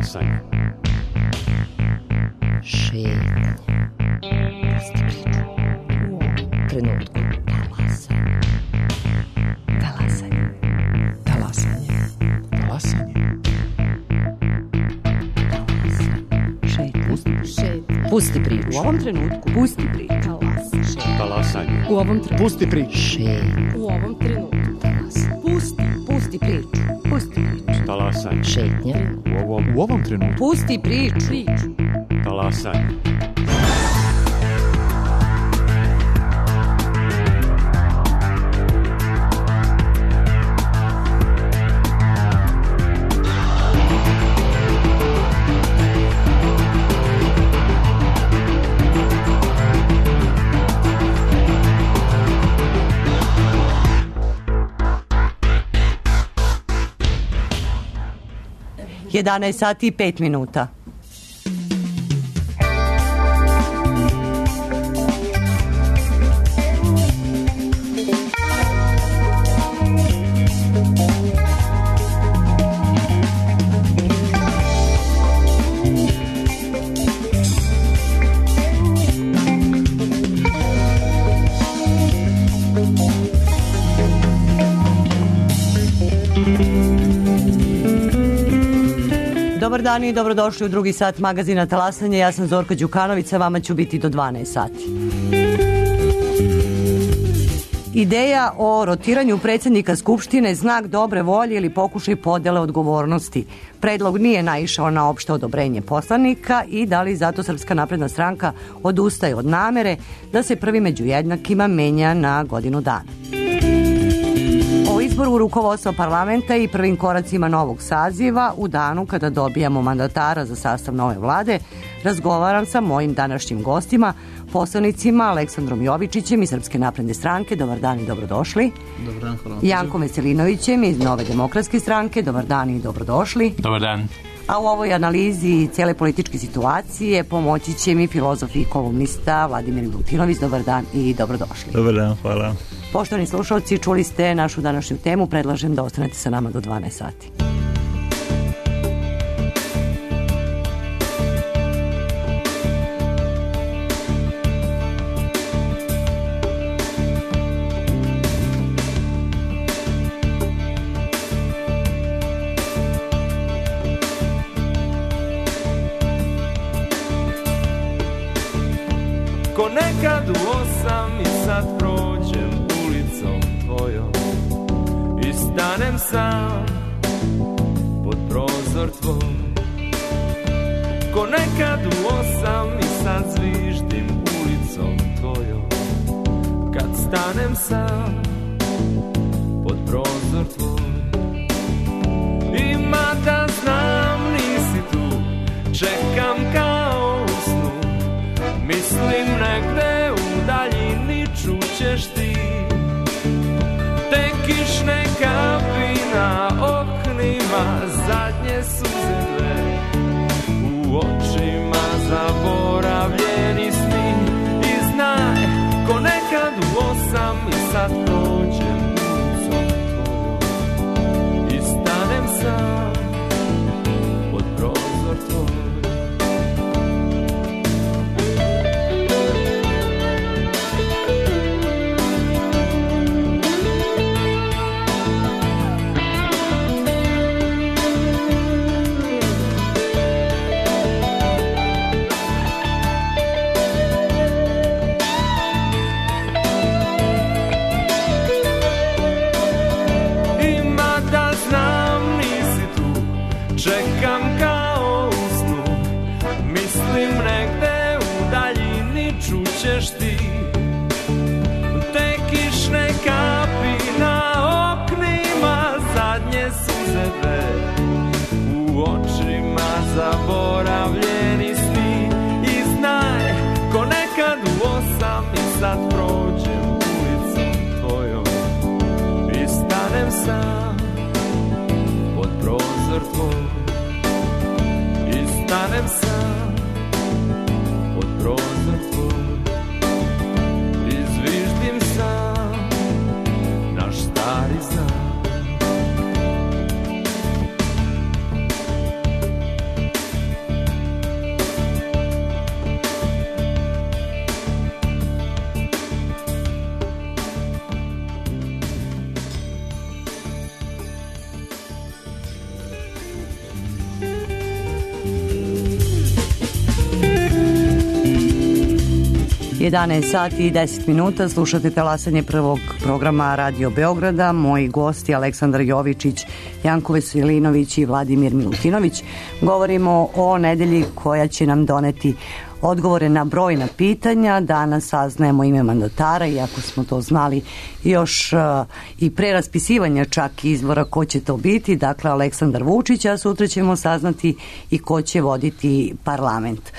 Talasanje. Šetnje. Pusti priču. U ovom trenutku. Talasanje. Talasanje. Talasanje. Šetnje. Pusti priču. U ovom trenutku. Pusti priču. Talasanje. U ovom trenutku. Pusti priču. Šetnje. U ovom trenutku. Pusti priču. Pusti priču. Talasanje. Šetnje. U ovom trenutku. Pusti priču. Talasanje. Jedanaest sati i 5 minuta. Dobar dan i dobrodošli u drugi sat magazina Talasanje. Ja sam Zorka Đukanović, sa vama ću biti do 12 sati. Ideja o rotiranju predsjednika Skupštine znak dobre volje ili pokušaj podjele odgovornosti. Predlog nije naišao na opšte odobrenje poslanika i da li zato Srpska napredna stranka odustaje od namere da se prvi među jednakima menja na godinu dana. O izboru rukovodstva parlamenta i prvim koracima novog saziva u danu kada dobijamo mandatara za sastav nove vlade razgovaram sa mojim današnjim gostima, poslanicima Aleksandrom Jovičićem iz Srpske napredne stranke. Dobar dan i dobrodošli. Dobar dan, hvala. Jankom Veselinovićem iz Nove demokratske stranke. Dobar dan i dobrodošli. Dobar dan. A u ovoj analizi cijele političke situacije pomoći će mi filozof i kolumnista Vladimir Milutinović. Dobar dan i dobrodošli. Dobar dan, hvala. Poštovani slušalci, čuli ste našu današnju temu. Predlažem da ostanete sa nama do 12 sati. Ko nekad u 8 i sad prođem ulicom tvojom i stanem sam pod prozor tvoj. Ko nekad u 8 i sad zviždim ulicom tvojom kad stanem sam pod prozor tvoj. I mada znam nisi tu, čekam kao u snu, mislim negde u daljini čućeš ti te kišne kapi na oknima, zadnje suze dve u očima, zaboravljeni sni. I znaj, ko nekad u 8 i sad prođem ulicom tvojom i stanem sam pod prozor tvoj. Čekam kao u snu, mislim negde u daljini čućeš ti te kišne kapi na oknima, zadnje suze dve u očima, zaboravljeni sni. I znaj, ko nekad u 8 i sad prođem ulicom tvojom i stanem sam pod prozor tvoj. Stanem sam pod prozor tvoj i zviždim sam naš stari znak. 11 sati i 10 minuta, slušate talasanje prvog programa Radio Beograda. Moji gosti Aleksandar Jovičić, Janko Veselinović i Vladimir Milutinović. Govorimo o nedelji koja će nam doneti odgovore na brojna pitanja. Danas saznajemo ime mandatara, iako smo to znali još i pre raspisivanja čak izbora ko će to biti, dakle Aleksandar Vučić, a sutra ćemo saznati i ko će voditi parlament.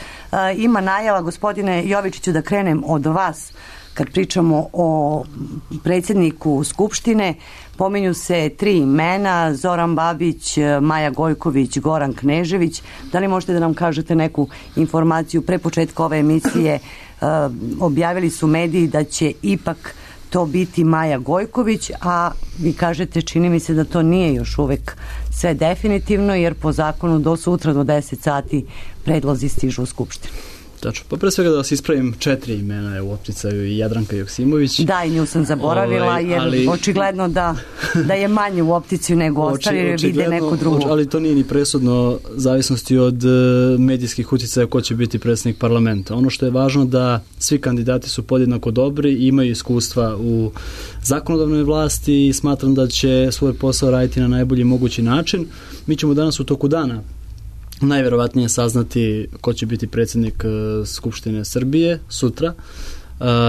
Ima najava, gospodine Jovičiću, da krenem od vas. Kad pričamo o predsjedniku Skupštine, pominju se 3 imena: Zoran Babić, Maja Gojković, Goran Knežević. Da li možete da nam kažete neku informaciju? Pre početka ove emisije objavili su mediji da će ipak to biti Maja Gojković, a vi kažete, čini mi se da to nije još uvek sve definitivno, jer po zakonu do sutra do 10 sati predlozi stižu u Skupštinu. Tačno. Pa pre svega da vas ispravim, 4 imena je u opticaju i Jadranka Joksimović. Da, i nju sam zaboravila, jer očigledno da je manje u opticiju nego ostali, jer vide neku drugu. Ali to nije ni presudno, zavisnosti od medijskih uticaja ko će biti predsjednik parlamenta. Ono što je važno da svi kandidati su podjednako dobri i imaju iskustva u zakonodavnoj vlasti i smatram da će svoj posao raditi na najbolji mogući način. Mi ćemo danas u toku dana najverovatnije saznati ko će biti predsjednik Skupštine Srbije sutra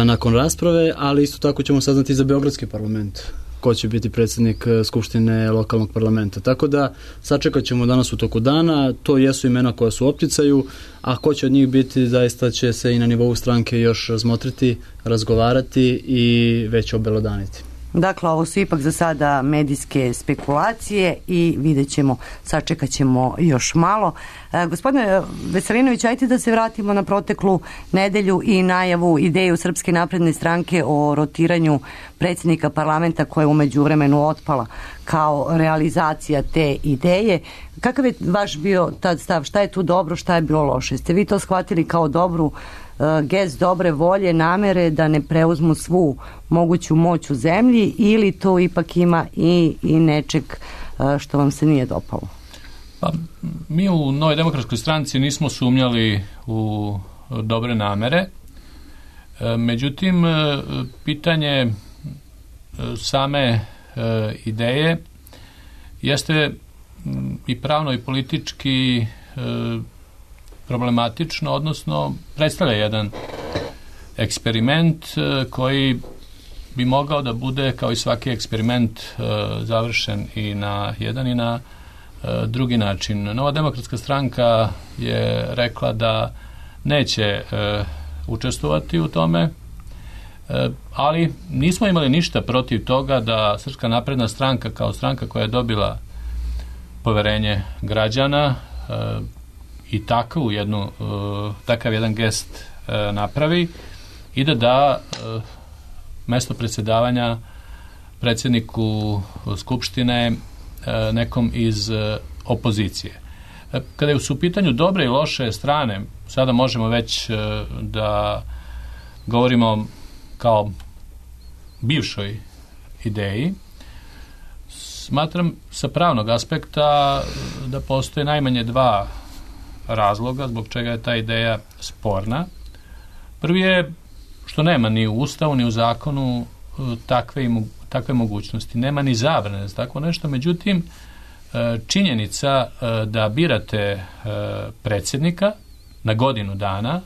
nakon rasprave, ali isto tako ćemo saznati za Beogradski parlament ko će biti predsjednik Skupštine lokalnog parlamenta. Tako da sačekat ćemo danas u toku dana. To jesu imena koja su u opticaju, a ko će od njih biti, zaista će se i na nivou stranke još razmotriti, razgovarati i već obelodaniti. Dakle, ovo su ipak za sada medijske spekulacije i vidjet ćemo, sačekat ćemo još malo. Gospodine Veselinović, ajte da se vratimo na proteklu nedelju i najavu, ideju Srpske napredne stranke o rotiranju predsjednika parlamenta koja je u međuvremenu otpala kao realizacija te ideje. Kakav je vaš bio tad stav? Šta je tu dobro, šta je bilo loše? Ste vi to shvatili kao dobru gest dobre volje, namere da ne preuzmu svu moguću moć u zemlji, ili to ipak ima i nečeg što vam se nije dopalo? Pa, mi u Novoj demokratskoj stranci nismo sumnjali u dobre namere. Međutim, pitanje same ideje jeste i pravno i politički problematično, odnosno predstavlja jedan eksperiment koji bi mogao da bude, kao i svaki eksperiment, završen i na jedan i na drugi način. Nova demokratska stranka je rekla da neće učestvovati u tome, ali nismo imali ništa protiv toga da Srpska napredna stranka, kao stranka koja je dobila poverenje građana, i takav jedan gest napravi i da mesto predsjedavanja predsjedniku Skupštine nekom iz opozicije. Kada su u pitanju dobre i loše strane, sada možemo već da govorimo kao bivšoj ideji. Smatram sa pravnog aspekta da postoje najmanje 2 razloga zbog čega je ta ideja sporna. Prvi je što nema ni u Ustavu ni u zakonu takve mogućnosti. Nema ni zabrane za tako nešto. Međutim, činjenica da birate predsjednika na godinu dana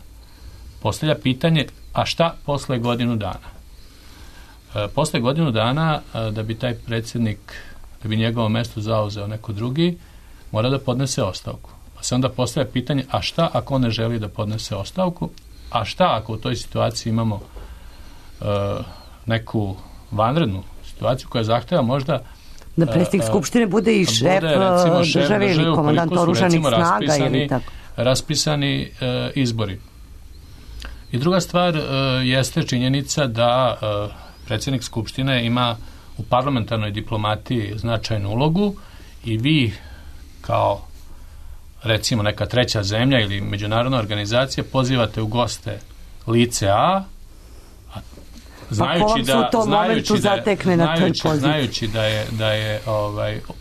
postavlja pitanje, a šta posle godinu dana? Posle godinu dana, da bi taj predsjednik, da bi njegovo mesto zauzeo neko drugi, mora da podnese ostavku. Pa se onda postavlja pitanje, a šta ako on ne želi da podnese ostavku? A šta ako u toj situaciji imamo neku vanrednu situaciju koja zahteva možda da predsjednik Skupštine bude i šef države ili komandant oružanih snaga ili tako. Raspisani izbori. I druga stvar jeste činjenica da predsjednik Skupštine ima u parlamentarnoj diplomatiji značajnu ulogu i vi kao recimo neka treća zemlja ili međunarodna organizacija pozivate u goste lice A, znajući da je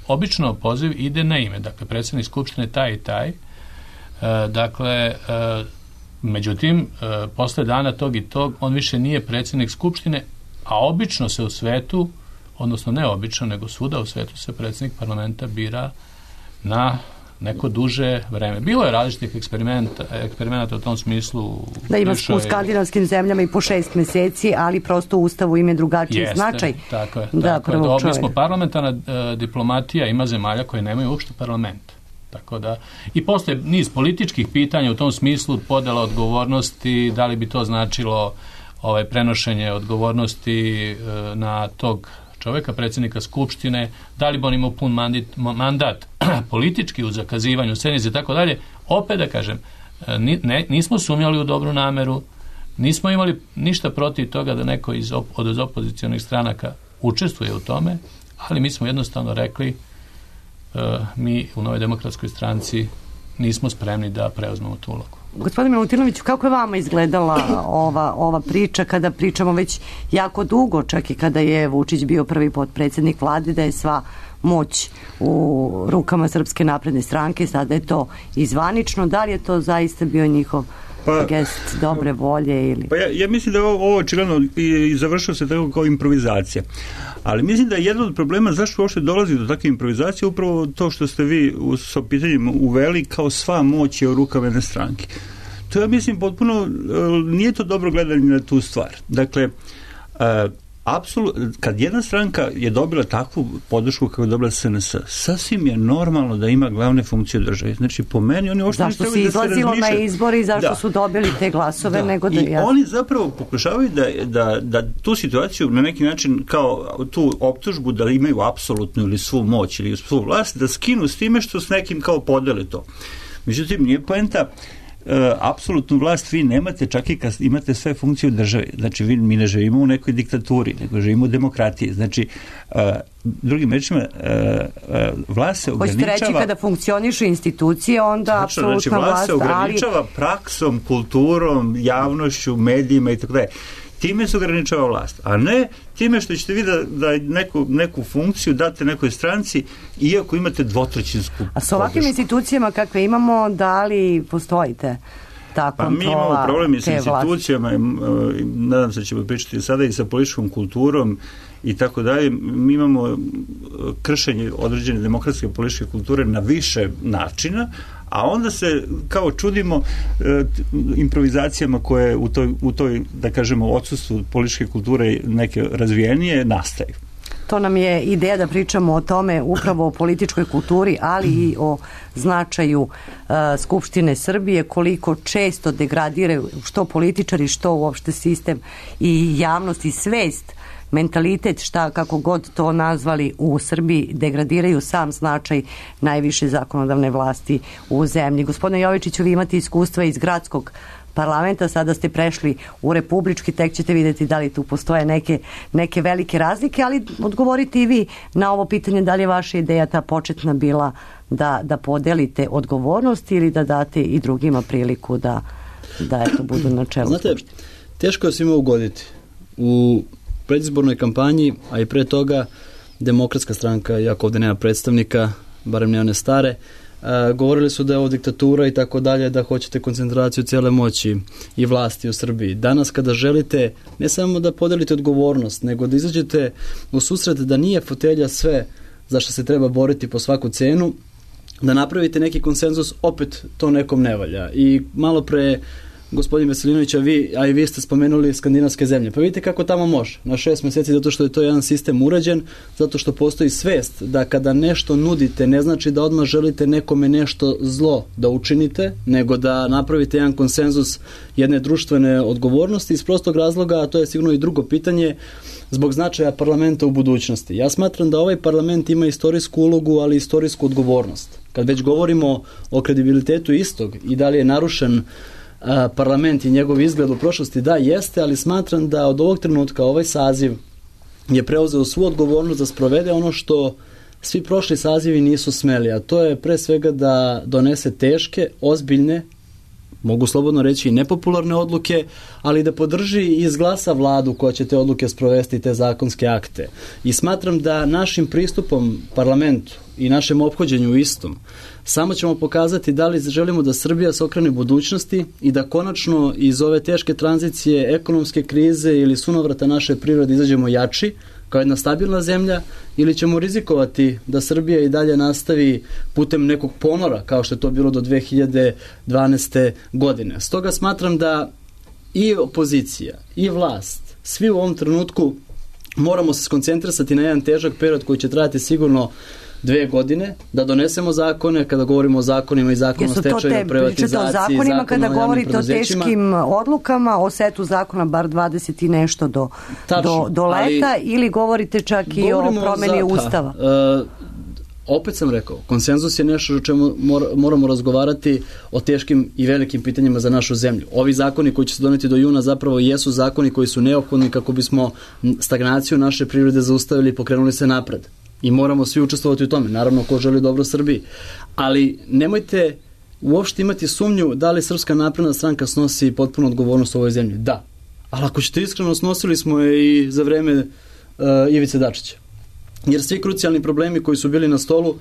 obično poziv ide na ime, dakle predsjednik Skupštine taj i taj, dakle Međutim, posle dana tog i tog, on više nije predsjednik Skupštine, a obično se u svetu, odnosno ne obično, nego svuda u svetu se predsjednik parlamenta bira na neko duže vreme. Bilo je različitih eksperimenata u tom smislu. Da, ima u skandinavskim zemljama i po 6 meseci, ali prosto u Ustavu im je drugačiji značaj. Tako je. Da, mi smo parlamentarna diplomatija, ima zemalja koje nemaju uopšte parlament. Tako da, i posle niz političkih pitanja u tom smislu, podela odgovornosti, da li bi to značilo prenošenje odgovornosti na tog čoveka, predsjednika Skupštine, da li bi on imao pun mandat politički u zakazivanju sednice i tako dalje. Opet da kažem, nismo sumnjali u dobru nameru, nismo imali ništa protiv toga da neko od opozicionih stranaka učestvuje u tome, ali mi smo jednostavno rekli, mi u Novoj demokratskoj stranci nismo spremni da preuzmemo tu ulogu. Gospodine Milutinoviću, kako je vama izgledala ova priča kada pričamo već jako dugo, čak i kada je Vučić bio prvi potpredsjednik vlade, da je sva moć u rukama Srpske napredne stranke, sada je to izvanično, da li je to zaista bio njihov gest dobre volje ili... Pa ja mislim da ovo očigledno i završilo se tako kao improvizacija. Ali mislim da je jedan od problema zašto uopšte dolazi do takve improvizacije upravo to što ste vi sa pitanjem uveli kao sva moć je u rukama jedne stranke. To ja mislim potpuno, nije to dobro gledanje na tu stvar. Dakle, apsolutno, kad jedna stranka je dobila takvu podršku kako je dobila SNS, sasvim je normalno da ima glavne funkcije države. Znači, po meni, oni uopšte zašto se izlazilo na izbori i zašto su dobili te glasove, nego da... I oni zapravo pokušavaju da tu situaciju na neki način kao tu optužbu da imaju apsolutnu ili svu moć ili svu vlast, da skinu s time što s nekim kao podele to. Međutim, nije poenta apsolutnu vlast vi nemate čak i kad imate sve funkcije u državi. Znači, mi ne živimo u nekoj diktaturi, nego živimo u demokratiji. Znači, drugim rečima, vlast se ograničava... Hoćete reći kada funkcionišu institucije, onda apsolutna vlast se ograničava praksom, kulturom, javnošću, medijima i tako dalje. Time se ograničava vlast, a ne time što ćete vi da neku funkciju date nekoj stranci, iako imate dvotrećinsku podršku. A s ovakvim institucijama kakve imamo, da li postojite ta kontrola? Pa mi imamo problem i s institucijama, nadam se da ćemo pričati sada i sa političkom kulturom i tako dalje. Mi imamo kršenje određene demokratske političke kulture na više načina, a onda se kao čudimo improvizacijama koje u toj, da kažemo, odsustvu političke kulture neke razvijenije nastaju. To nam je ideja da pričamo o tome, upravo o političkoj kulturi, ali i o značaju Skupštine Srbije, koliko često degradiraju što političari, što uopšte sistem i javnost i svest, mentalitet, kako god to nazvali, u Srbiji degradiraju sam značaj najviše zakonodavne vlasti u zemlji. Gospodine Jovičiću, vi imate iskustva iz gradskog parlamenta, sada ste prešli u republički, tek ćete vidjeti da li tu postoje neke velike razlike, ali odgovorite i vi na ovo pitanje, da li je vaša ideja ta početna bila da podelite odgovornost ili da date i drugima priliku da eto budu na čelu. Znate, teško je svima ugoditi. U predizbornoj kampanji, a i pre toga, Demokratska stranka, iako ovdje nema predstavnika, barem ne one stare, govorili su da je ovo diktatura i tako dalje, da hoćete koncentraciju cijele moći i vlasti u Srbiji. Danas kada želite ne samo da podelite odgovornost, nego da izađete u susret da nije fotelja sve za što se treba boriti po svaku cenu, da napravite neki konsenzus, opet to nekom ne valja. I malo pre gospodin Veselinović, a i vi ste spomenuli skandinavske zemlje. Pa vidite kako tamo može. Na 6 mjeseci, zato što je to jedan sistem uređen, zato što postoji svest da kada nešto nudite, ne znači da odmah želite nekome nešto zlo da učinite, nego da napravite jedan konsenzus jedne društvene odgovornosti iz prostog razloga, a to je sigurno i drugo pitanje, zbog značaja parlamenta u budućnosti. Ja smatram da ovaj parlament ima istorijsku ulogu, ali i istorijsku odgovornost. Kad već govorimo o kredibilitetu istog i da li je narušen parlament i njegov izgled u prošlosti, da, jeste, ali smatram da od ovog trenutka ovaj saziv je preuzeo svu odgovornost da sprovede ono što svi prošli sazivi nisu smeli, a to je pre svega da donese teške, ozbiljne mogu slobodno reći i nepopularne odluke, ali da podrži i izglasa vladu koja će te odluke sprovesti i te zakonske akte. I smatram da našim pristupom parlamentu i našem ophođenju istom samo ćemo pokazati da li želimo da Srbija se okrene budućnosti i da konačno iz ove teške tranzicije, ekonomske krize ili sunovrata naše prirode izađemo jači, kao jedna stabilna zemlja, ili ćemo rizikovati da Srbija i dalje nastavi putem nekog ponora, kao što je to bilo do 2012. godine. Stoga smatram da i opozicija, i vlast, svi u ovom trenutku moramo se skoncentrisati na jedan težak period koji će trajati sigurno 2 godine, da donesemo zakone, kada govorimo o zakonima i zakonu o stečaju, privatizaciji, o zakonima, kada govorite o teškim odlukama, o setu zakona bar 20 i nešto do leta, ili govorite čak i o promeni Ustava? Opet sam rekao, konsenzus je nešto o čemu moramo razgovarati o teškim i velikim pitanjima za našu zemlju. Ovi zakoni koji će se doneti do juna zapravo jesu zakoni koji su neophodni kako bismo stagnaciju naše privrede zaustavili i pokrenuli se napred. I moramo svi učestvovati u tome, naravno ko želi dobro Srbiji. Ali nemojte uopšte imati sumnju da li Srpska napredna stranka snosi potpunu odgovornost u ovoj zemlji. Da. Ali ako ćete iskreno, snosili smo je i za vreme Ivice Dačića. Jer svi krucijalni problemi koji su bili na stolu,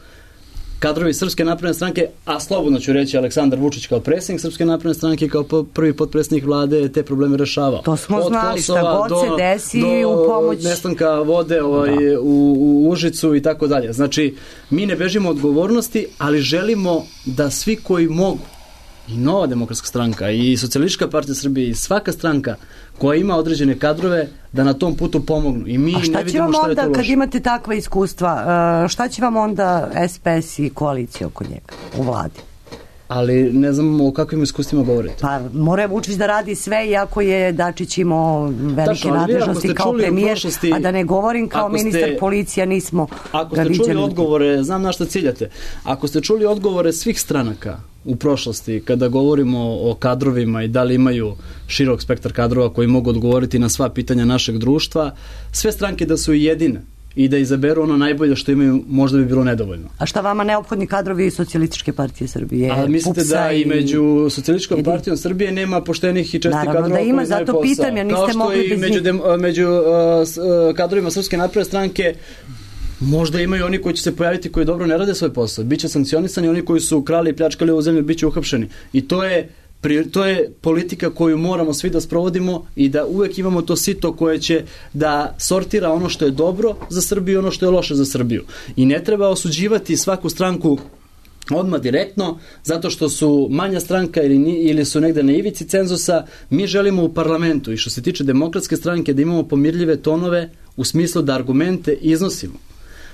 kadrovi Srpske napredne stranke, a slobodno ću reći Aleksandar Vučić kao predsjednik Srpske napredne stranke, kao prvi potpredsjednik vlade, te probleme rešavao. To smo znali, šta god se desi u pomoć. Do nestanka vode u Užicu i tako dalje. Znači, mi ne bežimo odgovornosti, ali želimo da svi koji mogu, i Nova demokratska stranka, i Socijalistička partija Srbije, i svaka stranka koja ima određene kadrove, da na tom putu pomognu. I mi ne vidimo šta je to loše. Kad imate takva iskustva, šta će vam onda SPS i koalicija oko njega u vladi? Ali ne znam o kakvim iskustvima govorite. Pa mora Vučić da radi sve, iako je Dačić imao velike nadležnosti kao premijer, a da ne govorim kao ministar policija, nismo Ako ste čuli odgovore, znam na šta ciljate, ako ste čuli odgovore svih stranaka u prošlosti, kada govorimo o kadrovima i da li imaju širok spektar kadrova koji mogu odgovoriti na sva pitanja našeg društva, sve stranke da su jedine i da izaberu ono najbolje što imaju, možda bi bilo nedovoljno. A šta vama neophodni kadrovi Socijalističke partije Srbije? A mislite da i među Socijalističkom partijom Srbije nema poštenih i čestih kadrova da ima, zato pitam, jer niste mogli bez njih. Kao što i među kadrovima Srpske napredne stranke možda imaju oni koji će se pojaviti koji dobro ne rade svoj posao. Biće sankcionisani oni koji su krali i pljačkali ovu zemlju, biće uhapšeni. I to je politika koju moramo svi da sprovodimo i da uvek imamo to sito koje će da sortira ono što je dobro za Srbiju i ono što je loše za Srbiju. I ne treba osuđivati svaku stranku odmah direktno, zato što su manja stranka ili su negde na ivici cenzusa. Mi želimo u parlamentu i što se tiče demokratske stranke da imamo pomirljive tonove u smislu da argumente iznosimo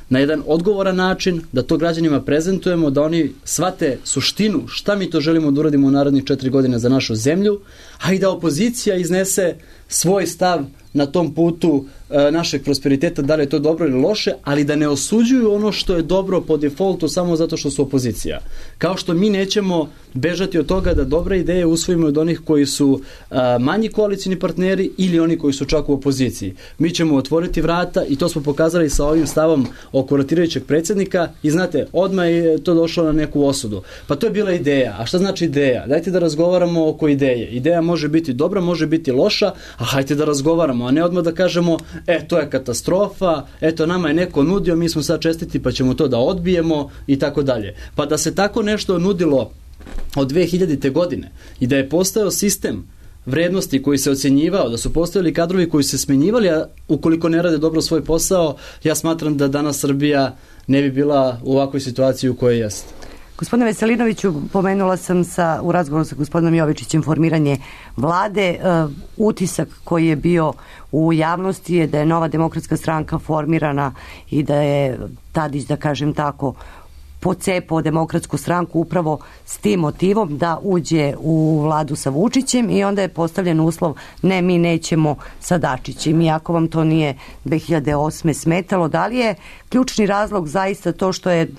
na jedan odgovoran način, da to građanima prezentujemo, da oni shvate suštinu šta mi to želimo da uradimo u narednih 4 godine za našu zemlju, a i da opozicija iznese svoj stav na tom putu našeg prosperiteta, da li je to dobro ili loše, ali da ne osuđuju ono što je dobro po defaultu samo zato što su opozicija. Kao što mi nećemo bežati od toga da dobre ideje usvojimo od onih koji su manji koalicijni partneri ili oni koji su čak u opoziciji. Mi ćemo otvoriti vrata i to smo pokazali sa ovim stavom oko rotirajućeg predsjednika i znate, odmah je to došlo na neku osudu. Pa to je bila ideja. A šta znači ideja? Dajte da razgovaramo oko ideje. Ideja može biti dobra, može biti loša, a hajte da razgovaramo, a ne odmah da kažemo to je katastrofa, eto nama je neko nudio, mi smo sad čestiti pa ćemo to da odbijemo i tako dalje. Pa da se tako nešto nudilo od 2000. godine i da je postojao sistem vrednosti koji se ocjenjivao, da su postojali kadrovi koji se smenjivali, a ukoliko ne rade dobro svoj posao, ja smatram da danas Srbija ne bi bila u ovakvoj situaciji u kojoj jeste. Gospodine Veselinoviću, pomenula sam u razgovoru sa gospodinom Jovičićem formiranje vlade. Utisak koji je bio u javnosti je da je Nova demokratska stranka formirana i da je Tadić, da kažem tako, pocepao demokratsku stranku upravo s tim motivom da uđe u vladu sa Vučićem i onda je postavljen uslov ne, mi nećemo sa Dačićem. Iako vam to nije 2008. smetalo, da li je ključni razlog zaista to što je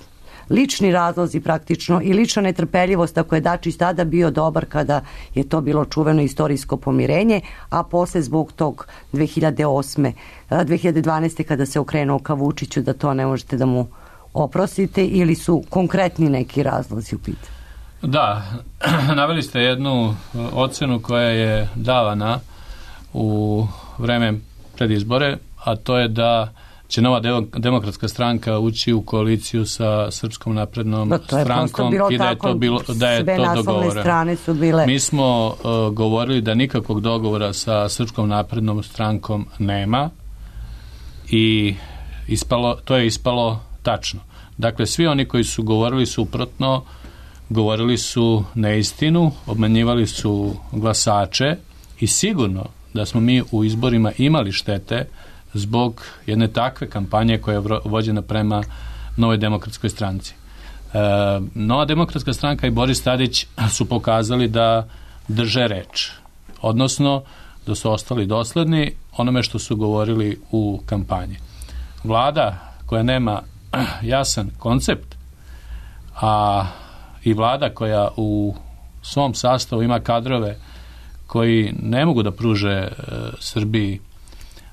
lični razlozi praktično i lična netrpeljivost ako je Dačić tada bio dobar kada je to bilo čuveno istorijsko pomirenje, a posle zbog tog 2012. kada se okrenuo ka Vučiću da to ne možete da mu oprostite ili su konkretni neki razlozi u pitanju? Da, naveli ste jednu ocenu koja je davana u vreme pred izbore, a to je da će Nova demokratska stranka ući u koaliciju sa Srpskom naprednom strankom i da je to bilo, da je sve to naslovne dogovoreno. strane su bile. Mi smo govorili da nikakvog dogovora sa Srpskom naprednom strankom nema i to je ispalo tačno. Dakle, svi oni koji su govorili suprotno, govorili su neistinu, obmanjivali su glasače i sigurno da smo mi u izborima imali štete zbog jedne takve kampanje koja je vođena prema Novoj demokratskoj stranci. Nova demokratska stranka i Boris Tadić su pokazali da drže reč, odnosno da su ostali dosledni onome što su govorili u kampanji. Vlada koja nema jasan koncept, a i vlada koja u svom sastavu ima kadrove koji ne mogu da pruže Srbiji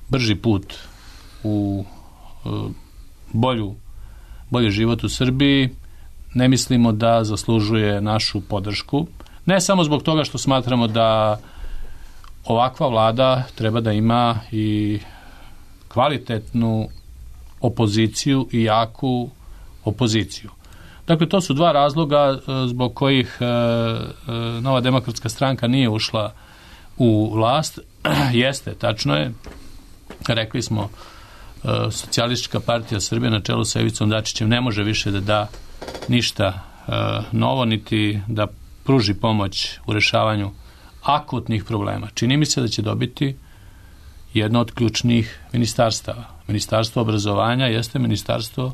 brži put u bolji život u Srbiji, ne mislimo da zaslužuje našu podršku. Ne samo zbog toga što smatramo da ovakva vlada treba da ima i kvalitetnu opoziciju i jaku opoziciju. Dakle, to su dva razloga zbog kojih Nova demokratska stranka nije ušla u vlast. Jeste, tačno je, rekli smo, Socijalistička partija Srbije na čelu sa Ivicom Dačićem ne može više da da ništa novo, niti da pruži pomoć u rešavanju akutnih problema. Čini mi se da će dobiti jedno od ključnih ministarstava. Ministarstvo obrazovanja jeste ministarstvo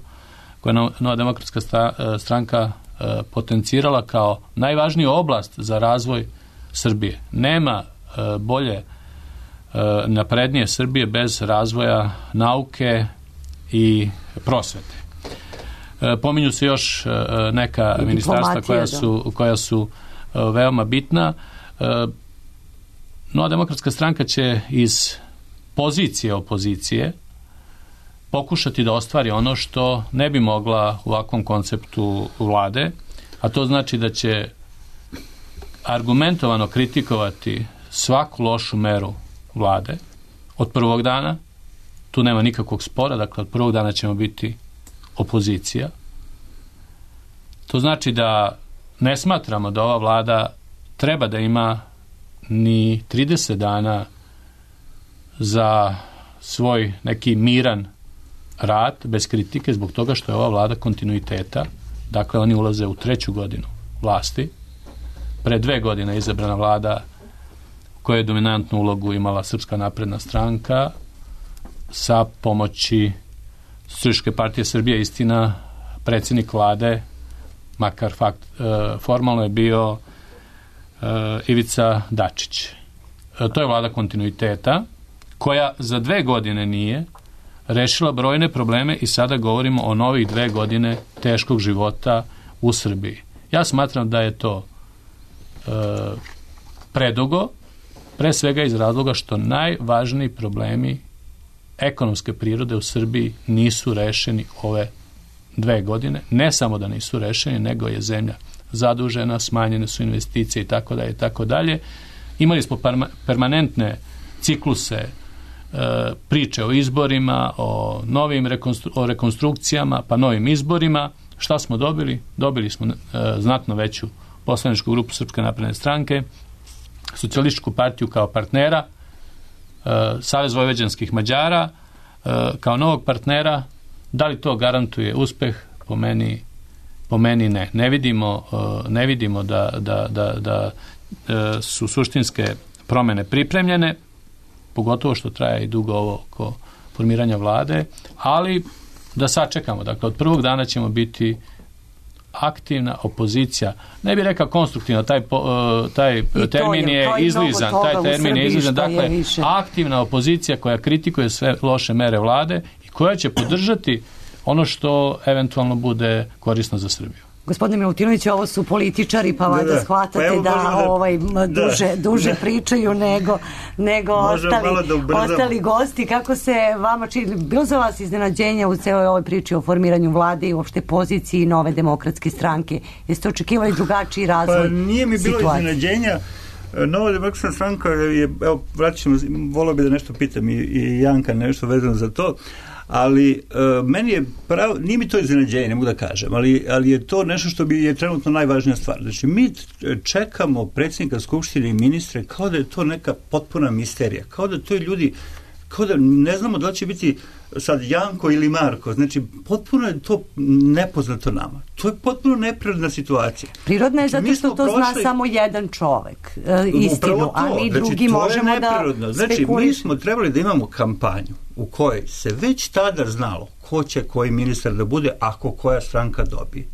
koje je Nova demokratska stranka potencirala kao najvažniju oblast za razvoj Srbije. Nema bolje naprednije Srbije bez razvoja nauke i prosvete. Pominju se još neka ministarstva koja su veoma bitna. Nova demokratska stranka će iz pozicije opozicije pokušati da ostvari ono što ne bi mogla u ovakvom konceptu vlade, a to znači da će argumentovano kritikovati svaku lošu meru vlade od prvog dana. Tu nema nikakvog spora, dakle od prvog dana ćemo biti opozicija. To znači da ne smatramo da ova vlada treba da ima ni 30 dana za svoj neki miran rad bez kritike zbog toga što je ova vlada kontinuiteta. Dakle, oni ulaze u 3. godinu vlasti. Pre 2 godine je izabrana vlada u kojoj je dominantnu ulogu imala Srpska napredna stranka sa pomoći Socijalističke partije Srbije. Istina, predsjednik vlade, makar formalno je bio Ivica Dačić. To je vlada kontinuiteta koja za 2 godine nije rešila brojne probleme i sada govorimo o novih 2 godine teškog života u Srbiji. Ja smatram da je to predugo, pre svega iz razloga što najvažniji problemi ekonomske prirode u Srbiji nisu rešeni ove 2 godine. Ne samo da nisu rešeni, nego je zemlja zadužena, smanjene su investicije i tako dalje, tako dalje. Imali smo permanentne cikluse priče o izborima, o novim rekonstrukcijama, pa novim izborima. Šta smo dobili? Dobili smo znatno veću poslaničku grupu Srpske napredne stranke, Socijalističku partiju kao partnera, Savez vojvođanskih Mađara kao novog partnera. Da li to garantuje uspeh? Po meni ne. Ne vidimo da su suštinske promene pripremljene, pogotovo što traje i dugo ovo oko formiranja vlade, ali da sačekamo. Dakle, od prvog dana ćemo biti aktivna opozicija. Ne bih rekao konstruktivna, taj termin je izlizan. Taj termin je izlizan. Dakle, aktivna opozicija koja kritikuje sve loše mere vlade i koja će podržati ono što eventualno bude korisno za Srbiju. Gospodine Milutinović, ovo su političari, pa valjda shvatate duže pričaju nego ostali gosti. Kako se vama čini, bilo za vas iznenađenja u celoj ovoj priči o formiranju vlade i uopšte poziciji Nove demokratske stranke? Jeste očekivali drugačiji razvoj situacije? Pa nije mi bilo iznenađenja. Nova demokratska stranka je, evo, vratit ćemo, volio bi da nešto pitam i Janka nešto vezano za to, ali meni je nije mi to iznenađenje, ne mogu da kažem, ali je to nešto što je trenutno najvažnija stvar. Znači, mi čekamo predsjednika Skupštine i ministre kao da je to neka potpuna misterija, kao da to je ljudi, kao da ne znamo da li će biti sad Janko ili Marko, znači potpuno je to nepoznato nama. To je potpuno neprirodna situacija. Prirodna je zato što to zna samo jedan čovek, istinu, a mi drugi možemo da spekulišemo. Znači, mi smo trebali da imamo kampanju u kojoj se već tada znalo ko će koji ministar da bude ako koja stranka dobije.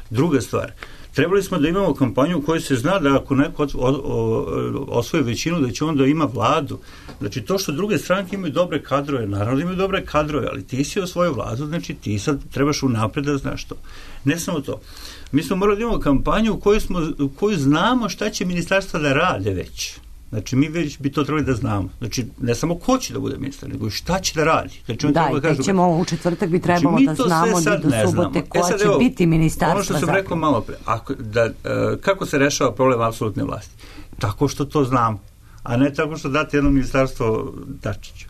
Druga stvar, trebali smo da imamo kampanju u kojoj se zna da ako neko osvoje većinu, da će onda ima vladu. Znači, to što druge stranke imaju dobre kadrove, naravno da imaju dobre kadrove, ali ti si osvojio vladu, znači ti sad trebaš unapred da znaš to. Ne samo to. Mi smo morali da imamo kampanju u kojoj znamo šta će ministarstva da rade već. Znači, mi već bi to trebali da znamo. Znači, ne samo ko će da bude ministar, nego i šta će da radi. Znači, u četvrtak bi trebalo da znamo da do subote koja će biti ministarstva. Ono što sam rekao malo pre, kako se rešava problem apsolutne vlasti? Tako što to znamo, a ne tako što date jedno ministarstvo Dačiću.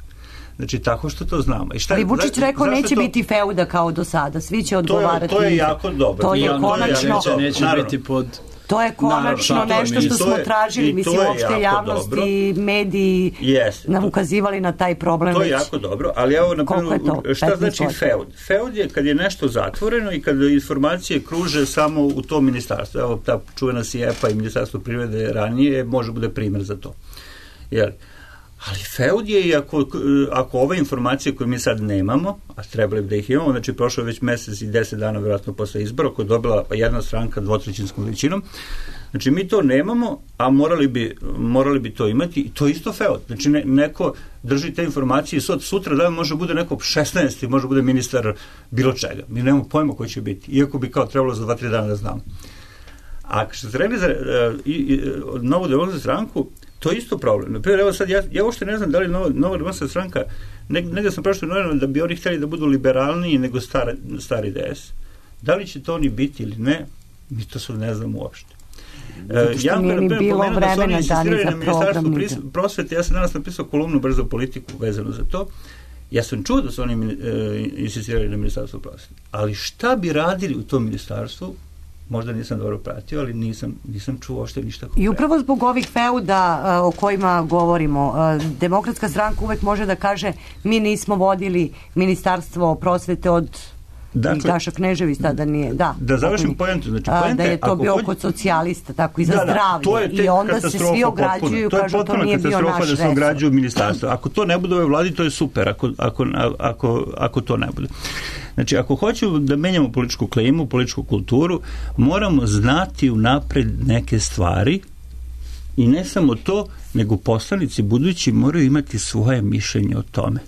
Znači, tako što to znamo. Ali Vučić rekao neće biti feuda kao do sada, svi će odgovarati. To je jako dobro. To je konačno. Neće biti pod... To je konačno nešto što smo tražili, mislim, uopšte javnost i mediji nam ukazivali na taj problem. To je jako dobro, ali evo, naprimjer, šta znači feud? Feud je kad je nešto zatvoreno i kad informacije kruže samo u tom ministarstvu. Evo, ta čuvena SIEPA i Ministarstvo privrede ranije može bude primjer za to. Jel? Ali feud je i ako ove informacije koje mi sad nemamo, a trebali bi da ih imamo, znači prošlo je već mesec i 10 dana vjerojatno posle izbora koja je dobila jedna stranka dvotrećinskom većinom, znači mi to nemamo, a morali bi to imati i to je isto feud. Znači neko drži te informacije i sutra dan može bude neko 16. može bude ministar bilo čega. Mi nemamo pojma koji će biti, iako bi kao trebalo za 2-3 dana da znamo. A što se rekli za Novu demokratsku stranku, to je isto problem. Naprimjer, evo sad, ja uopšte ne znam da li Nova demokratska stranka, negdje sam prošlo novinama da bi oni htjeli da budu liberalniji nego stari DS. Da li će to oni biti ili ne, mi to sad ne znam uopšte. Što nije ni bilo vremena da ni za program. Prosvete, ja sam danas napisao kolumnu Brzo politiku vezano za to. Ja sam čuo da su oni insistirali na ministarstvu prosvete. Ali šta bi radili u tom ministarstvu, možda nisam dobro pratio, ali nisam čuo uopšte ništa konkretno. I upravo zbog ovih feuda o kojima govorimo, Demokratska stranka uvek može da kaže mi nismo vodili ministarstvo prosvete od Gaša Knežević, tada nije. Da završim pojentu. Znači, da je to bio kod socijalista, tako i za zdravlje. I onda se svi ograđuju i kažu to nije bio naš resor. To je potpuno katastrofa da se ograđuju ministarstvo. Ako to ne bude u ovoj vladi, to je super. Ako to ne bude. Znači, ako hoćemo da menjamo političku klimu, političku kulturu, moramo znati unapred neke stvari i ne samo to, nego poslanici budući moraju imati svoje mišljenje o tome.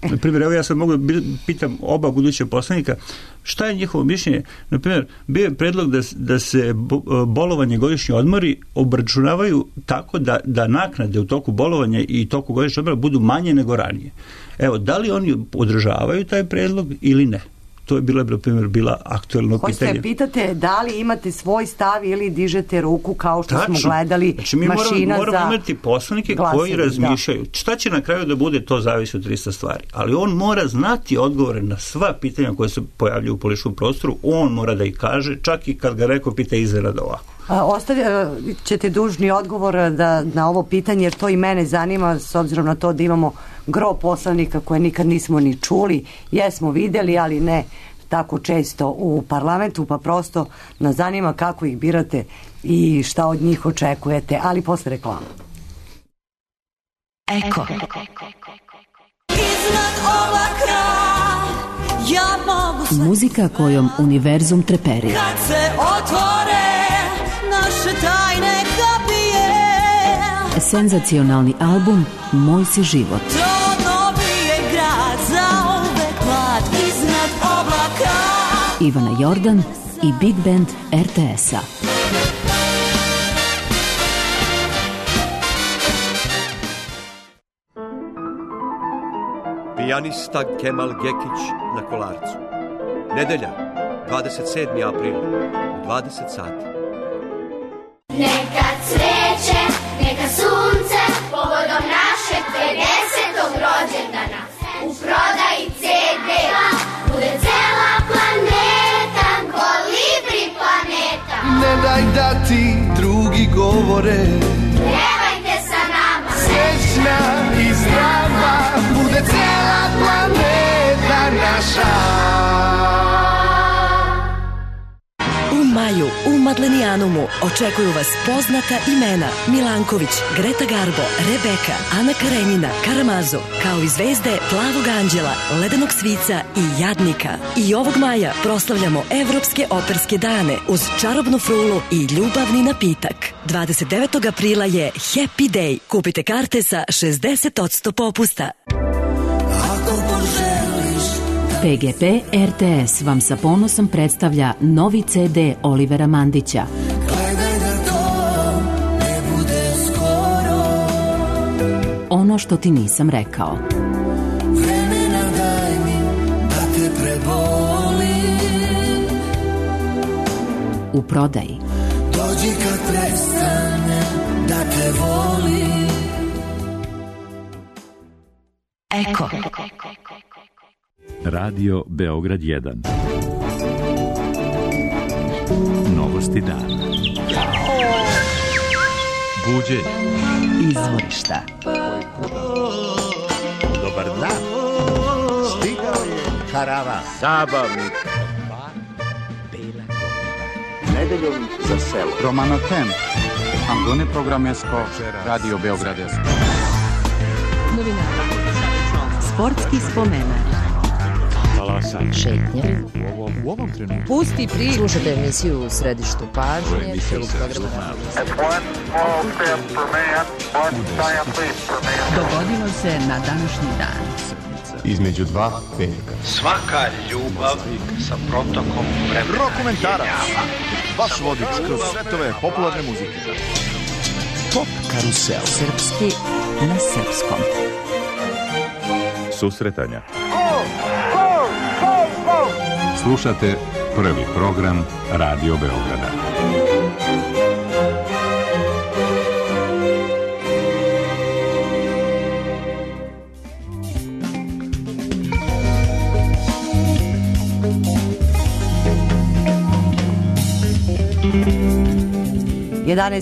Na primjer, evo ja sad mogu da pitam oba buduća poslanika šta je njihovo mišljenje. Na primjer, bio je predlog da se bolovanje, godišnji odmori obračunavaju tako da naknade u toku bolovanja i toku godišnjeg odmora budu manje nego ranije. Evo, da li oni podržavaju taj predlog ili ne? To je bila aktuelno pitanje. Hoćete pitate da li imate svoj stav ili dižete ruku kao što smo gledali znači, mi moramo imati poslanike koji razmišljaju. Šta će na kraju da bude, to zavisi od 300 stvari. Ali on mora znati odgovore na sva pitanja koje se pojavljaju u političkom prostoru. On mora da ih kaže, čak i kad ga neko pita iznenada ovako. Ćete dužni odgovor na ovo pitanje, jer to i mene zanima, s obzirom na to da imamo gro poslanika koje nikad nismo ni čuli, jesmo videli, ali ne tako često u parlamentu, pa prosto nas zanima kako ih birate i šta od njih očekujete, ali posle reklama. Eko. Muzika kojom univerzum treperi. Kad se otvore naše tajne kapije, senzacionalni album Moj si život. Trodno bije grad, zauvek mlad iznad oblaka. Ivana Jordan i Big Band RTS-a. Pijanista Kemal Gekić na Kolarcu. Nedelja, 27. april, u 20 sati. Neka cveće, neka sunce, povodom našeg 50. rođendana. U prodaji CD bude cela planeta, Kolibri planeta. Ne daj da ti drugi govore, Pjevajte sa nama, srećna i zdrava, bude cela planeta naša. U maju u Madlenijanumu očekuju vas poznata imena Milanković, Greta Garbo, Rebeka, Ana Karenjina, Karamazo, kao i zvezde Plavog anđela, Ledenog svica i Jadnika. I ovog maja proslavljamo Evropske operske dane uz čarobnu frulu i ljubavni napitak. 29. aprila je Happy Day. Kupite karte sa 60% popusta. PGP RTS vam sa ponosom predstavlja novi CD Olivera Mandića. Gledaj da to ne bude skoro. Ono što ti nisam rekao. Vremena daj mi da te prebolim. U prodaji. Dođi kad prestane da te volim. Eko. Radio Beograd 1. Novosti dana. Buđenje. Izvorišta. Dobar dan. Stigao je karavan. Zabavnik. Nedeljom za selo. Romano Tem. Angone programesko Radio Beograd 1. Novinara. Sportski spomenar. Šetnje. U ovom trenutku. Pusti priču. Slušajte emisiju u središtu pažnje. Dogodilo se na današnji dan. Između dva velika. Svaka ljubav sa protokom vremena. Rokomentarac. Vaš vodič kroz svetove popularne muzike. Pop karusel. Srpski na srpskom. Susretanja. Slušate prvi program Radio Beograda.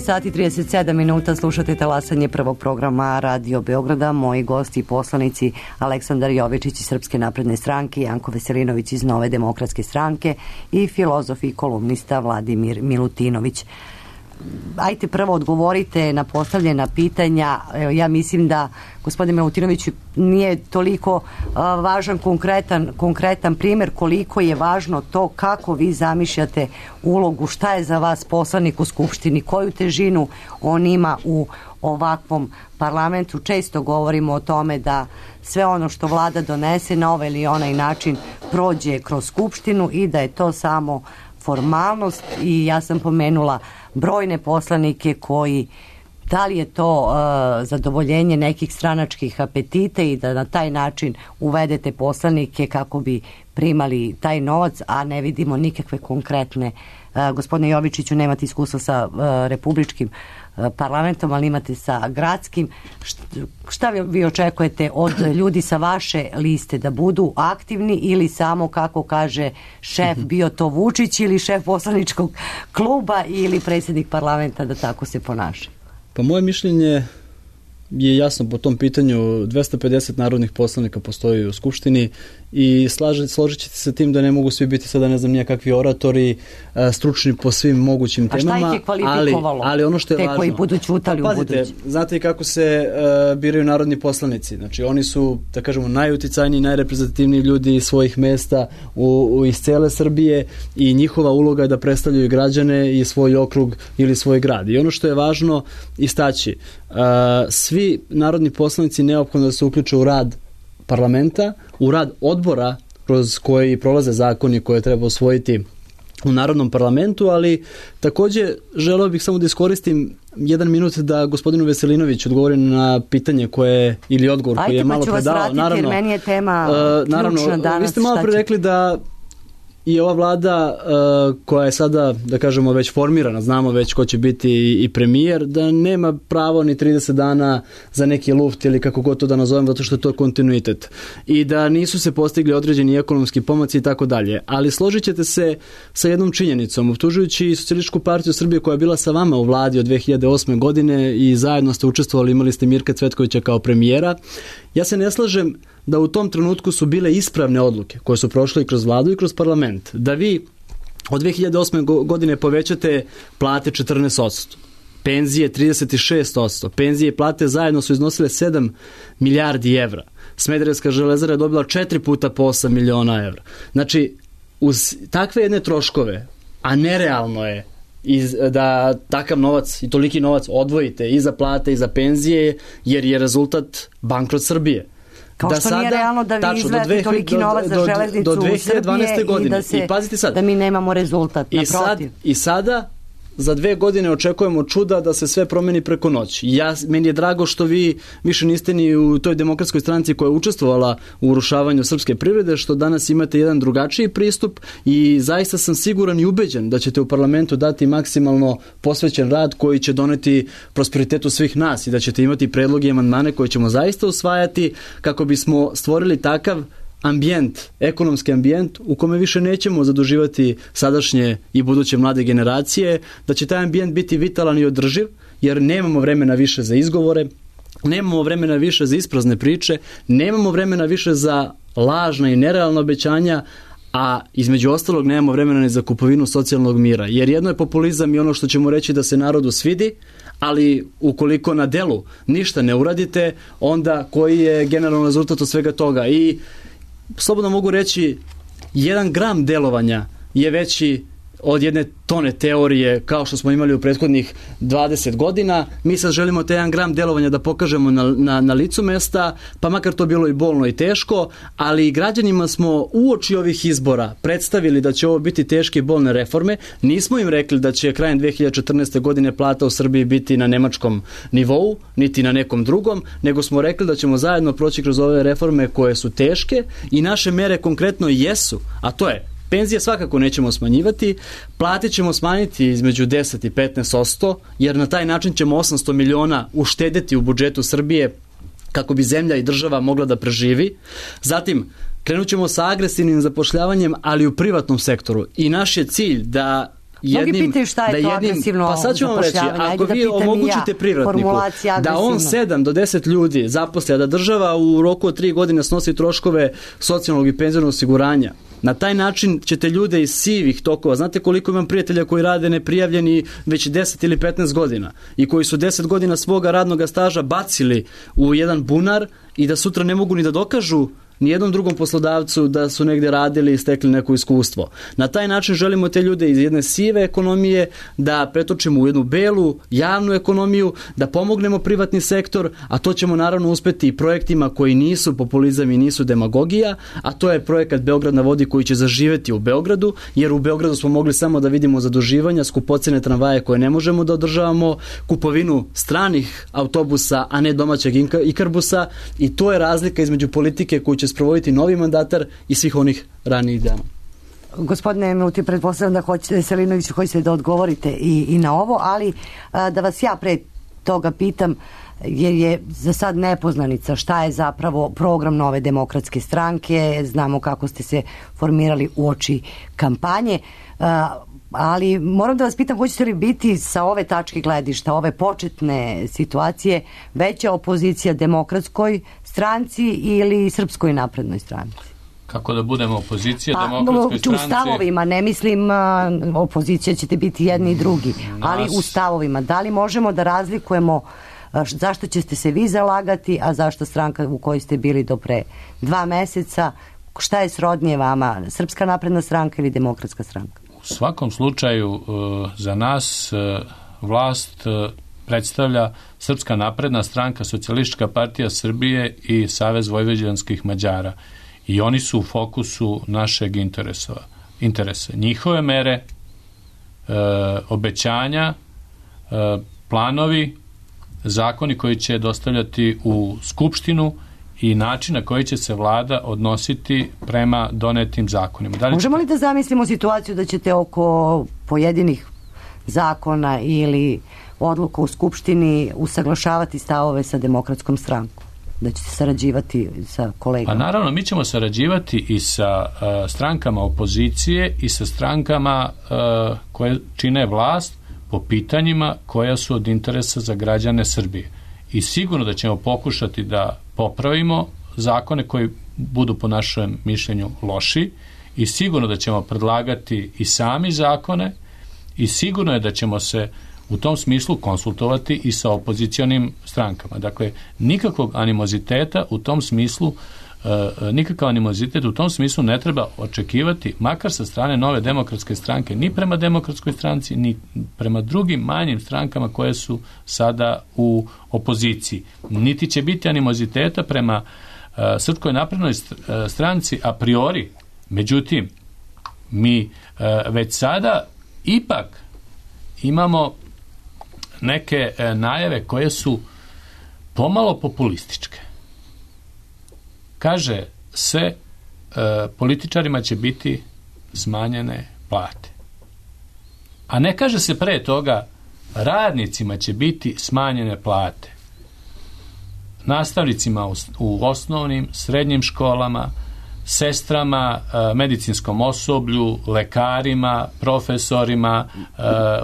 Sati 37 minuta slušate talasanje prvog programa Radio Beograda. Moji gosti i poslanici Aleksandar Jovičić iz Srpske napredne stranke, Janko Veselinović iz Nove demokratske stranke i filozof i kolumnista Vladimir Milutinović. Ajte prvo odgovorite na postavljena pitanja. Ja mislim da gospodin Milutinović nije toliko važan konkretan primjer koliko je važno to kako vi zamišljate ulogu, šta je za vas poslanik u Skupštini, koju težinu on ima u ovakvom parlamentu. Često govorimo o tome da sve ono što vlada donese na ovaj ili onaj način prođe kroz Skupštinu i da je to samo formalnost i ja sam pomenula brojne poslanike koji, da li je to zadovoljenje nekih stranačkih apetita i da na taj način uvedete poslanike kako bi primali taj novac, a ne vidimo nikakve konkretne. Gospodine Jovičiću, nemate iskustva sa republičkim parlamentom, ali imate sa gradskim. Šta vi očekujete od ljudi sa vaše liste, da budu aktivni ili samo, kako kaže šef, bio to Vučić ili šef poslaničkog kluba ili predsjednik parlamenta, da tako se ponaša? Pa moje mišljenje je jasno po tom pitanju. 250 narodnih poslanika postoji u Skupštini i složit ćete se tim da ne mogu svi biti sada ne znam nijakakvi oratori, stručni po svim mogućim temama. A šta ih je kvalifikovalo? Ali ono što je te važno, koji budu ćutali u budući. Znate i kako se biraju narodni poslanici. Znači oni su, da kažemo, najuticajniji, najreprezentativniji ljudi iz svojih mesta iz cele Srbije i njihova uloga je da predstavljaju građane i svoj okrug ili svoj grad. I ono što je važno istaći, svi narodni poslanici neophodno da se uključe u rad parlamenta, u rad odbora kroz koji prolaze zakoni koje treba usvojiti u Narodnom parlamentu, ali takođe želeo bih samo da iskoristim 1 minut da gospodinu Veselinoviću odgovori na pitanje koje, ili odgovor koji je malo predao. Ajde, pa ću vas vratiti, jer meni je tema ključna danas. Vi ste malo pre rekli da i ova vlada koja je sada, da kažemo, već formirana, znamo već ko će biti i premijer, da nema pravo ni 30 dana za neki luft ili kako god to da nazovem, zato što je to kontinuitet. I da nisu se postigli određeni ekonomski pomaci i tako dalje. Ali složit ćete se sa jednom činjenicom, optužujući Socijalističku partiju Srbije koja je bila sa vama u vladi od 2008. godine i zajedno ste učestvovali, imali ste Mirka Cvetkovića kao premijera. Ja se ne slažem da u tom trenutku su bile ispravne odluke koje su prošle i kroz vladu i kroz parlament. Da vi od 2008. godine povećate plate 14%, penzije 36%, penzije i plate zajedno su iznosile 7 milijardi evra. Smederevska železara je dobila 4 puta po 8 miliona evra. Znači, uz takve jedne troškove, a nerealno je da takav novac i toliki novac odvojite i za plate i za penzije, jer je rezultat bankrot Srbije. Kao što sada, nije realno da vi izvajate toliki novac za železnicu do 2012. godine. I da mi nemamo rezultat. I sada za 2 godine očekujemo čuda da se sve promeni preko noći. Meni je drago što vi više niste ni u toj demokratskoj stranci koja je učestvovala u urušavanju srpske privrede, što danas imate jedan drugačiji pristup i zaista sam siguran i ubeđen da ćete u parlamentu dati maksimalno posvećen rad koji će doneti prosperitetu svih nas i da ćete imati predloge i amandmane koje ćemo zaista usvajati kako bismo stvorili takav ambijent, ekonomski ambijent u kome više nećemo zaduživati sadašnje i buduće mlade generacije, da će taj ambijent biti vitalan i održiv, jer nemamo vremena više za izgovore, nemamo vremena više za isprazne priče, nemamo vremena više za lažna i nerealna obećanja, a između ostalog nemamo vremena ni za kupovinu socijalnog mira. Jer jedno je populizam i ono što ćemo reći da se narodu svidi, ali ukoliko na delu ništa ne uradite, onda koji je generalno rezultat od svega toga. I slobodno mogu reći, 1 gram delovanja je veći od 1 tone teorije kao što smo imali u prethodnih 20 godina. Mi sad želimo te 1 gram delovanja da pokažemo na licu mesta, pa makar to bilo i bolno i teško, ali građanima smo uoči ovih izbora predstavili da će ovo biti teške i bolne reforme. Nismo im rekli da će krajem 2014. godine plata u Srbiji biti na nemačkom nivou, niti na nekom drugom, nego smo rekli da ćemo zajedno proći kroz ove reforme koje su teške i naše mere konkretno jesu, a to je penzije svakako nećemo smanjivati, plate ćemo smanjiti između 10 i 15%, jer na taj način ćemo 800 miliona uštedeti u budžetu Srbije kako bi zemlja i država mogla da preživi. Zatim, krenut ćemo sa agresivnim zapošljavanjem, ali u privatnom sektoru. I naš je cilj da mnogi pitaju šta je to agresivno pa sad ću vam reći, ako vi omogućite privatniku da on 7 do 10 ljudi zaposli, a da država u roku od 3 godine snosi troškove socijalnog i penzionog osiguranja, na taj način ćete ljude iz sivih tokova, znate koliko imam prijatelja koji rade neprijavljeni već 10 ili 15 godina i koji su 10 godina svoga radnog staža bacili u jedan bunar i da sutra ne mogu ni da dokažu ni jednom drugom poslodavcu da su negde radili i stekli neko iskustvo. Na taj način želimo te ljude iz jedne sive ekonomije da pretočimo u jednu belu, javnu ekonomiju, da pomognemo privatni sektor, a to ćemo naravno uspeti i projektima koji nisu populizam i nisu demagogija, a to je projekat Beograd na vodi koji će zaživeti u Beogradu, jer u Beogradu smo mogli samo da vidimo zaduživanja, skupocene tramvaje koje ne možemo da održavamo, kupovinu stranih autobusa, a ne domaćeg Ikarbusa, i to je razlika između politike koju će sprovoditi novi mandatar i svih onih ranijih dana. Gospodine Miluti, pretpostavljam da hoćete, Selinoviću, hoćete da odgovorite i na ovo, ali da vas ja pre toga pitam, jer je za sad nepoznanica šta je zapravo program Nove demokratske stranke, znamo kako ste se formirali uoči kampanje, ali moram da vas pitam, hoćete li biti sa ove tačke gledišta, ove početne situacije, veća opozicija demokratskoj stranci ili Srpskoj naprednoj stranci? Kako da budemo opozicija demokratskoj stranci? U stavovima, ne mislim opozicija ćete biti jedni i drugi, ali u stavovima. Da li možemo da razlikujemo zašto ćete se vi zalagati, a zašto stranka u kojoj ste bili do pre 2 meseca? Šta je srodnije vama, Srpska napredna stranka ili Demokratska stranka? U svakom slučaju za nas vlast predstavlja Srpska napredna stranka, Socijalistička partija Srbije i Savez vojvođanskih Mađara. I oni su u fokusu našeg interesa. Njihove mere obećanja, planovi, zakoni koji će dostavljati u Skupštinu i način na koji će se vlada odnositi prema donetim zakonima. Možemo li da zamislimo situaciju da ćete oko pojedinih zakona ili odluka u Skupštini usaglašavati stavove sa Demokratskom strankom? Da ćete sarađivati sa kolegama? Pa naravno, mi ćemo sarađivati i sa strankama opozicije i sa strankama koje čine vlast po pitanjima koja su od interesa za građane Srbije. I sigurno da ćemo pokušati da popravimo zakone koji budu po našem mišljenju loši i sigurno da ćemo predlagati i sami zakone i sigurno je da ćemo se u tom smislu konsultovati i sa opozicionim strankama. Dakle, nikakvog animoziteta u tom smislu nikakav animozitet u tom smislu ne treba očekivati, makar sa strane Nove demokratske stranke, ni prema Demokratskoj stranci, ni prema drugim manjim strankama koje su sada u opoziciji. Niti će biti animoziteta prema Srpskoj naprednoj stranci a priori. Međutim, mi već sada ipak imamo neke najave koje su pomalo populističke. Kaže se, političarima će biti smanjene plate. A ne kaže se pre toga, radnicima će biti smanjene plate. Nastavnicima u osnovnim, srednjim školama, sestrama, medicinskom osoblju, lekarima, profesorima,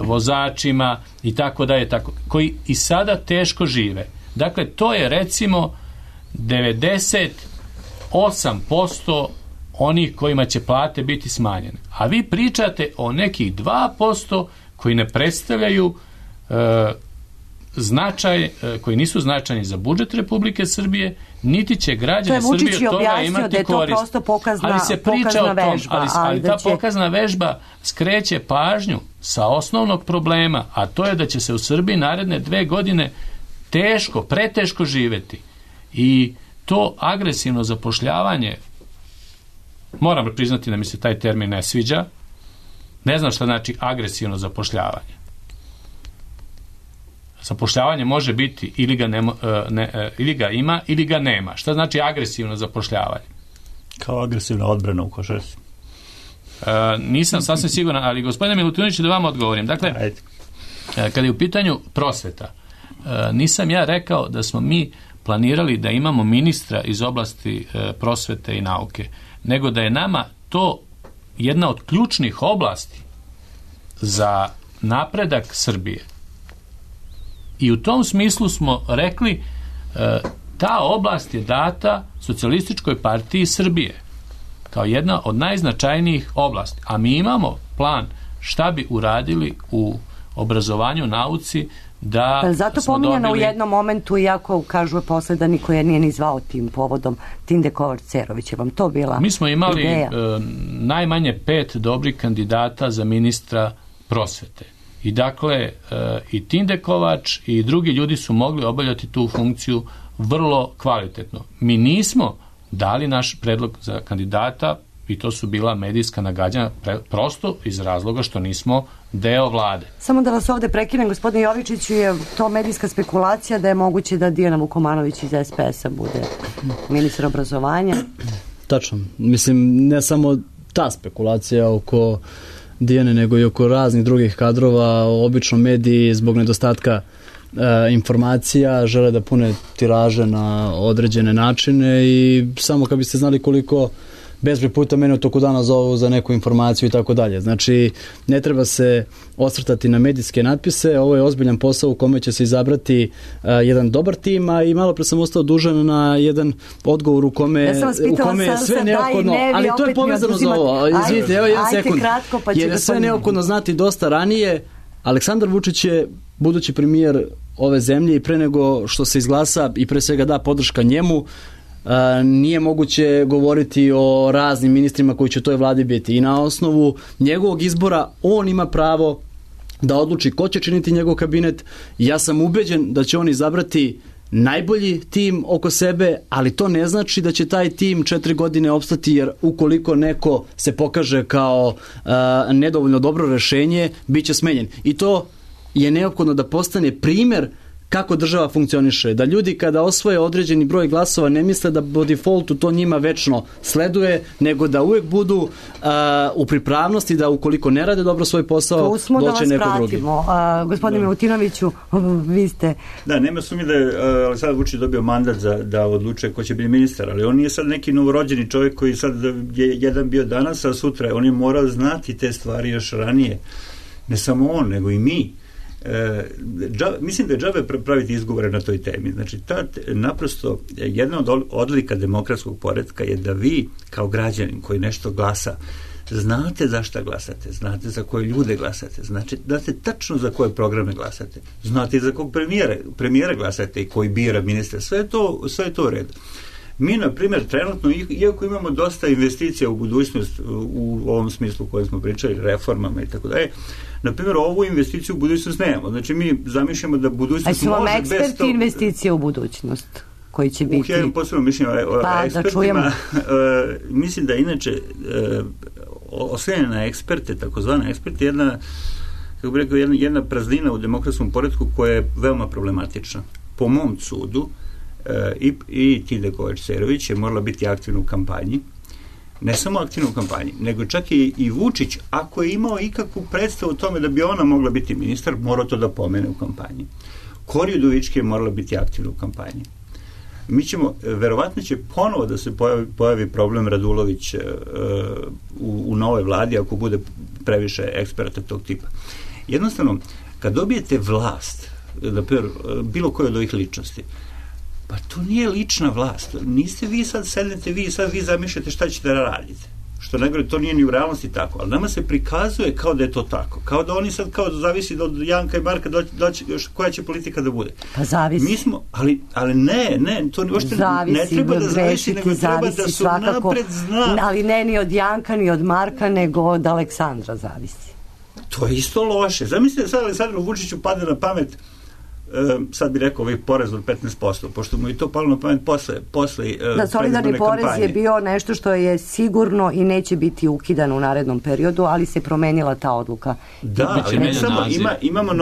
vozačima i tako dalje, koji i sada teško žive. Dakle, to je recimo 98% onih kojima će plate biti smanjene. A vi pričate o nekih 2% koji ne predstavljaju značaj, koji nisu značajni za budžet Republike Srbije, niti će građani Srbije od toga imati korist. Ali se priča o tom, ali ta pokazna vežba skreće pažnju sa osnovnog problema, a to je da će se u Srbiji naredne 2 godine preteško živeti. I to agresivno zapošljavanje, moram priznati da mi se taj termin ne sviđa, ne znam šta znači agresivno zapošljavanje. Zapošljavanje može biti ili ga ima ili ga nema. Šta znači agresivno zapošljavanje? Kao agresivna odbrana u košarci. Nisam sasvim siguran, ali gospodine Milutinoviću, da vam odgovorim. Dakle, kada je u pitanju prosveta, nisam ja rekao da smo mi planirali da imamo ministra iz oblasti prosvete i nauke, nego da je nama to jedna od ključnih oblasti za napredak Srbije. I u tom smislu smo rekli, ta oblast je data Socijalističkoj partiji Srbije kao jedna od najznačajnijih oblasti. A mi imamo plan šta bi uradili u obrazovanju, nauci, da zato pominjano u jednom momentu, iako kažu posle da niko je nije ni zvao tim povodom, Tinde Kovač-Cerović, je vam to bila ideja? Mi smo imali najmanje 5 dobrih kandidata za ministra prosvete. I dakle, i Tinde Kovač i drugi ljudi su mogli obavljati tu funkciju vrlo kvalitetno. Mi nismo dali naš predlog za kandidata i to su bila medijska nagađanja prosto iz razloga što nismo deo vlade. Samo da vas ovde prekinem, gospodine Jovičiću, je to medijska spekulacija da je moguće da Dijana Vukomanović iz SPS-a bude ministar obrazovanja? Tačno. Mislim, ne samo ta spekulacija oko Dijane, nego i oko raznih drugih kadrova. Obično mediji zbog nedostatka informacija žele da pune tiraže na određene načine i samo kad biste znali koliko bezbroj puta mene u toku dana zovu za neku informaciju i tako dalje. Znači, ne treba se osvrtati na medijske natpise, ovo je ozbiljan posao u kome će se izabrati jedan dobar tim, a i malo pre sam ostao dužan na jedan odgovor u kome je sve neophodno, ali to je povezano za ovo. Izvinite, evo jedan sekund. Jer je sve neophodno znati dosta ranije. Aleksandar Vučić je budući premijer ove zemlje i pre nego što se izglasa i pre svega da podrška njemu, nije moguće govoriti o raznim ministrima koji će u toj vladi biti i na osnovu njegovog izbora on ima pravo da odluči ko će činiti njegov kabinet i ja sam ubeđen da će on izabrati najbolji tim oko sebe, ali to ne znači da će taj tim 4 godine opstati, jer ukoliko neko se pokaže kao nedovoljno dobro rešenje, bit će smenjen. I to je neophodno da postane primer kako država funkcioniše. Da ljudi kada osvoje određeni broj glasova ne misle da po defaultu to njima večno sleduje, nego da uvek budu u pripravnosti da ukoliko ne rade dobro svoj posao, doće neko drugi. Gospodine Milutinoviću, vi ste... Da, nema sumnje da je Aleksandar Vučić dobio mandat da odlučuje ko će biti ministar, ali on nije sad neki novorođeni čovjek koji sad je jedan bio danas, a sutra on je morao znati te stvari još ranije. Ne samo on, nego i mi. Mislim da je džabe praviti izgovore na toj temi. Znači, naprosto jedna od odlika demokratskog poretka je da vi kao građanin koji nešto glasa znate za šta glasate, znate za koje ljude glasate, znate tačno za koje programe glasate, znate i za kog premijera glasate i koji bira ministra. Sve je to u redu. Mi, na primjer, trenutno, iako imamo dosta investicija u budućnost u ovom smislu u kojem smo pričali, reformama i tako dalje, na primjer, ovu investiciju u budućnost nemamo. Znači, mi zamišljamo da budućnost može bez toga... A su vam eksperti investicije u budućnost koji će biti... Ja imam posebno mišljenje o ekspertima. Mislim da inače oslanjanje na eksperte, takozvane eksperte, jedna praznina u demokratskom poretku koja je veoma problematična. Po mom sudu, i Tide Kovač-Cerović je morala biti aktivna u kampanji, ne samo aktivna u kampanji, nego čak i Vučić, ako je imao ikakvu predstavu o tome da bi ona mogla biti ministar, morao to da pomene u kampanji. Kori Udovički je morala biti aktivna u kampanji. Verovatno će ponovo da se pojavi problem Radulović u novoj vladi ako bude previše eksperata tog tipa. Jednostavno, kad dobijete vlast, bilo koje od ovih ličnosti, pa to nije lična vlast. Niste vi sad sednete, vi zamišljate šta ćete da radite. Što najgore, to nije ni u realnosti tako. Ali nama se prikazuje kao da je to tako. Kao da oni sad zavisi od Janka i Marka koja će politika da bude. Pa zavisi. Mi smo, ali ne, to ne treba da zavisi, nego treba da su napred zna. Ali ne ni od Janka, ni od Marka, nego od Aleksandra zavisi. To je isto loše. Zamislite sad Aleksandru Vučiću padne na pamet, sad bi rekao ovaj porez od 15%, pošto mu je to palo na pamet posle da, solidarni porez je bio nešto što je sigurno i neće biti ukidan u narednom periodu, ali se promenila ta odluka. Da, ali ne samo, imamo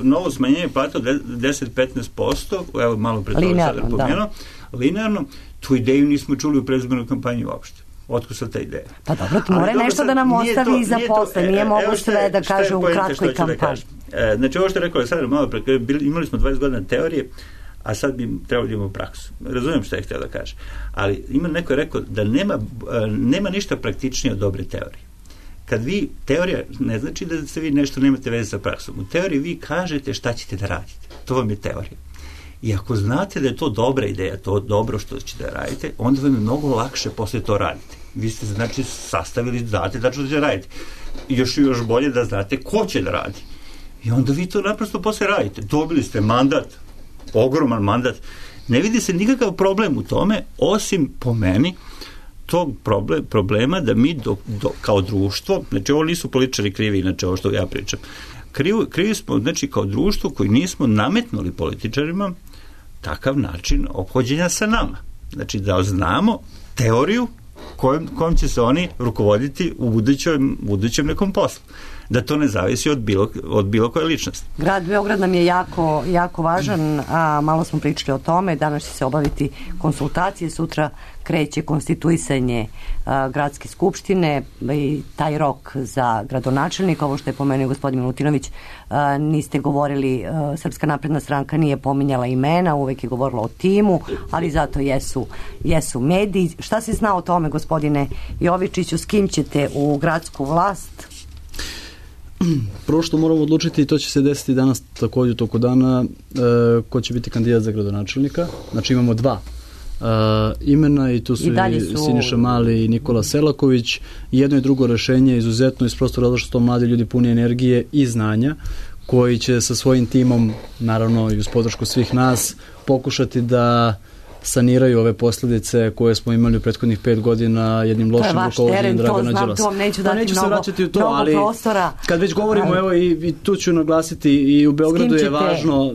novo smanjenje plata od 10-15%, evo malo pre toga sada pomenuo, linearno, tu ideju nismo čuli u predizbornoj kampanji uopšte. Otkud sad ta ideja? Pa dobro, mora nešto da nam ostavi za posle, nije mogu sve da kaže u kratkoj kampanji. Znači, ovo što je rekao Aleksandar malo pre, imali smo 20 godina teorije, a sad bi trebalo da imamo praksu. Razumijem što je htio da kaže. Ali neko je rekao da nema ništa praktičnije od dobre teorije. Kad teorija ne znači da se vi nešto nemate veze sa praksom. U teoriji vi kažete šta ćete da radite. To vam je teorija. I ako znate da je to dobra ideja, to dobro što ćete da radite, onda vam je mnogo lakše posle to radite. Vi ste, znači, sastavili, znate da ćete raditi. Još bolje da znate ko će da radi. I onda vi to naprosto posle radite. Dobili ste mandat, ogroman mandat. Ne vidi se nikakav problem u tome, osim po meni tog problema da mi kao društvo, znači ovo nisu političari krivi, inače ovo što ja pričam, krivi smo, znači, kao društvo koji nismo nametnuli političarima takav način ophođenja sa nama. Znači da znamo teoriju kojom će se oni rukovoditi u budućem nekom poslu. Da to ne zavisi od bilo koje ličnosti. Grad Beograd nam je jako, jako važan, a malo smo pričali o tome, danas će se obaviti konsultacije, sutra kreće konstituisanje gradske skupštine i taj rok za gradonačelnika, ovo što je pomenuo gospodin Milutinović, niste govorili, Srpska napredna stranka nije pominjala imena, uvek je govorila o timu, ali zato jesu mediji. Šta se zna o tome, gospodine Jovičiću, s kim ćete u gradsku vlast? Prvo što moramo odlučiti, i to će se desiti danas također u toku dana, ko će biti kandidat za gradonačelnika. Znači imamo dva imena i tu su i Siniša Mali i Nikola Selaković. Jedno i drugo rešenje je izuzetno iz prostora zato što mladi ljudi puni energije i znanja koji će sa svojim timom, naravno i uz podršku svih nas, pokušati da saniraju ove posljedice koje smo imali u prethodnih 5 godina jednim lošim rukovodstvom Dragana Đilasa. To neću dati se vraćati u to, ali prostora. Kad već govorimo, evo i tu ću naglasiti, i u Beogradu je važno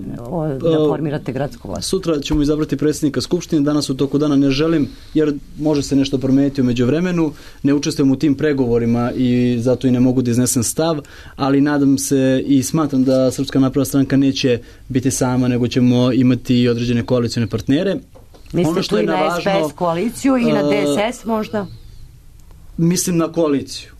da formirate gradsku vlast. Sutra ćemo izabrati predsjednika Skupštine, danas u toku dana ne želim, jer može se nešto promijeniti u međuvremenu, ne učestvujem u tim pregovorima i zato i ne mogu da iznesem stav, ali nadam se i smatram da Srpska napredna stranka neće biti sama, nego ćemo imati i određene koalicione partnere. Mislite tu i na SPS koaliciju i na DSS možda? Mislim na koaliciju.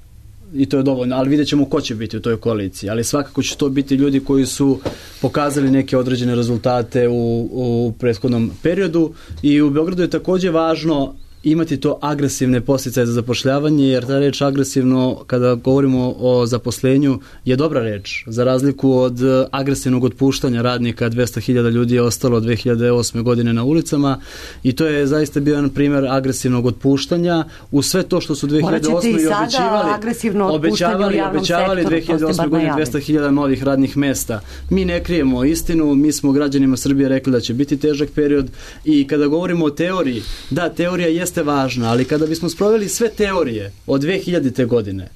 I to je dovoljno, ali vidjet ćemo ko će biti u toj koaliciji. Ali svakako će to biti ljudi koji su pokazali neke određene rezultate u prethodnom periodu. I u Beogradu je također važno imati to agresivne posljedice za zapošljavanje, jer ta reč agresivno, kada govorimo o zaposlenju, je dobra reč. Za razliku od agresivnog otpuštanja radnika, 200.000 ljudi je ostalo od 2008. godine na ulicama i to je zaista bio jedan primjer agresivnog otpuštanja. U sve to što su 2008. obećavali 2008. godine 200.000 novih radnih mesta. Mi ne krijemo istinu, mi smo građanima Srbije rekli da će biti težak period i kada govorimo o teoriji, da, teorija jeste važna, ali kada bismo sproveli sve teorije od 2000. godine,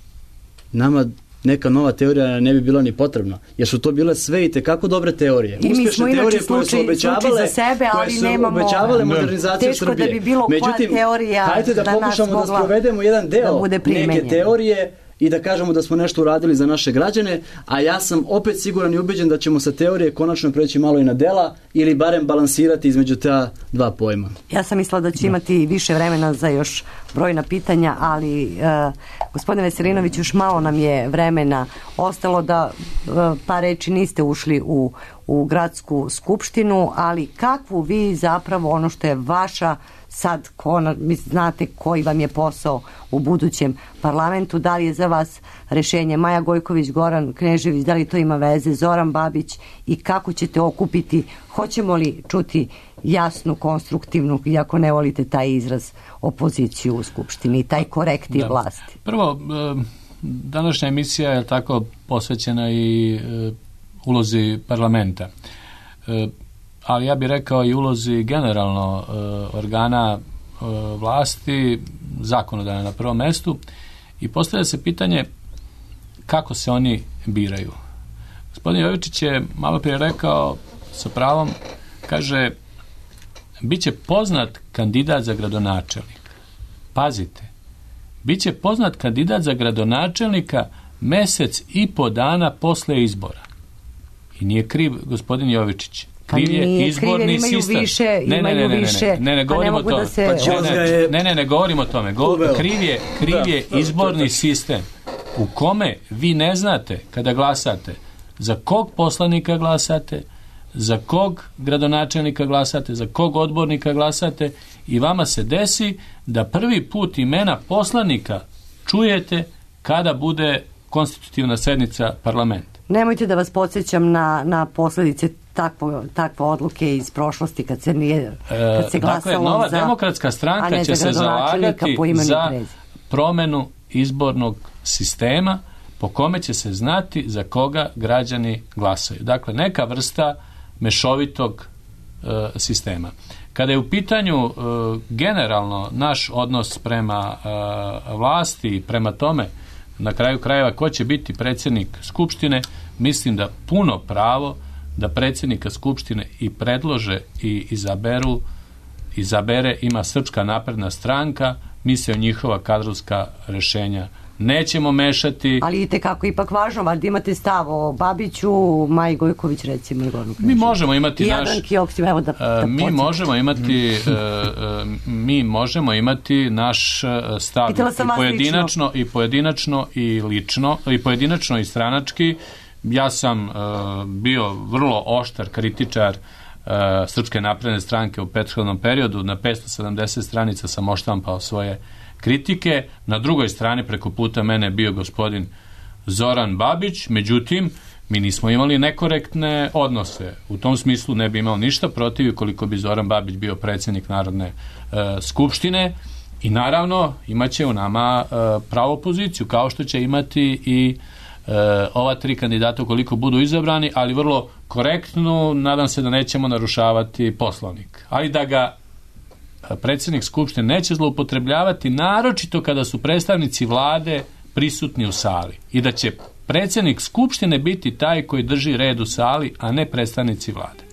nama neka nova teorija ne bi bila ni potrebna, jer su to bile sve i tekako dobre teorije. I mi smo inače slučaj za sebe, ali nemamo modernizaciju teško Srbije. da bi bilo koja teorija hajde da pokušamo da sprovedemo jedan deo neke teorije i da kažemo da smo nešto uradili za naše građane, a ja sam opet siguran i ubeđen da ćemo sa teorije konačno preći malo i na dela ili barem balansirati između ta dva pojma. Ja sam mislila da će imati više vremena za još brojna pitanja, ali gospodine Veselinović, još malo nam je vremena ostalo da par reči niste ušli u gradsku skupštinu, ali kakvu vi zapravo ono što je vaša sad, znate koji vam je posao u budućem parlamentu, da li je za vas rešenje Maja Gojković, Goran Knežević, da li to ima veze, Zoran Babić i kako ćete okupiti, hoćemo li čuti jasnu, konstruktivnu, iako ne volite taj izraz, opoziciju u skupštini i taj korektiv vlasti? Prvo, današnja emisija je tako posvećena i ulozi parlamenta. Ali ja bih rekao i ulozi generalno organa vlasti, zakonodavne na prvom mestu, i postavlja se pitanje kako se oni biraju. Gospodin Jovičić je malo prije rekao sa pravom, kaže, bit će poznat kandidat za gradonačelnika. Pazite, bit će poznat kandidat za gradonačelnika mesec i po dana posle izbora. I nije kriv gospodin Jovičić. Kriv je izborni sistem. Ne govorimo to. Ne govorimo o tome. Kriv je izborni sistem u kome vi ne znate kada glasate za kog poslanika glasate, za kog gradonačelnika glasate, za kog odbornika glasate, i vama se desi da prvi put imena poslanika čujete kada bude konstitutivna sednica parlamenta. Nemojte da vas podsjećam na posljedice takve odluke iz prošlosti kad se glasalo dakle, Nova demokratska stranka će se zalagati za promenu izbornog sistema po kome će se znati za koga građani glasaju. Dakle, neka vrsta mešovitog sistema. Kada je u pitanju generalno naš odnos prema vlasti i prema tome na kraju krajeva ko će biti predsjednik Skupštine, mislim da puno pravo da predsjednika Skupštine i predlože i izabere ima Srpska napredna stranka. Mi se o njihova kadrovska rješenja nećemo mešati. Ali itekako ipak važno, valjda imate stav o Babiću, Maji Gojković recimo. Mi možemo imati mi možemo imati naš stav i pojedinačno i lično, i pojedinačno i stranački. Ja sam bio vrlo oštar kritičar Srpske napredne stranke u prethodnom periodu. Na 570 stranica sam oštampao svoje kritike. Na drugoj strani preko puta mene je bio gospodin Zoran Babić. Međutim, mi nismo imali nekorektne odnose. U tom smislu ne bi imao ništa protiv ukoliko bi Zoran Babić bio predsjednik Narodne skupštine. I naravno imaće u nama pravu poziciju, kao što će imati i ova tri kandidata ukoliko budu izabrani, ali vrlo korektno. Nadam se da nećemo narušavati Poslovnik, ali da ga predsjednik Skupštine neće zloupotrebljavati, naročito kada su predstavnici vlade prisutni u sali, i da će predsjednik Skupštine biti taj koji drži red u sali, a ne predstavnici vlade.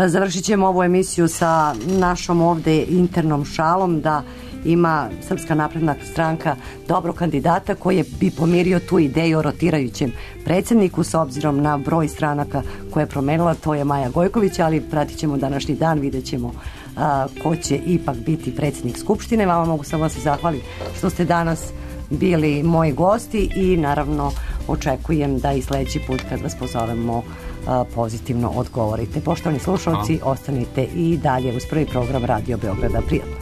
Završit ćemo ovu emisiju sa našom ovde internom šalom da ima Srpska napredna stranka dobro kandidata koji bi pomirio tu ideju o rotirajućem predsjedniku s obzirom na broj stranaka koje je promenila, to je Maja Gojković, ali pratit ćemo današnji dan, vidjet ćemo ko će ipak biti predsjednik Skupštine. Vama mogu samo se zahvaliti što ste danas bili moji gosti i naravno očekujem da i sledeći put kad vas pozovemo pozitivno odgovorite. Poštovani slušalci, ostanite i dalje uz prvi program Radio Beograda. Prijatno.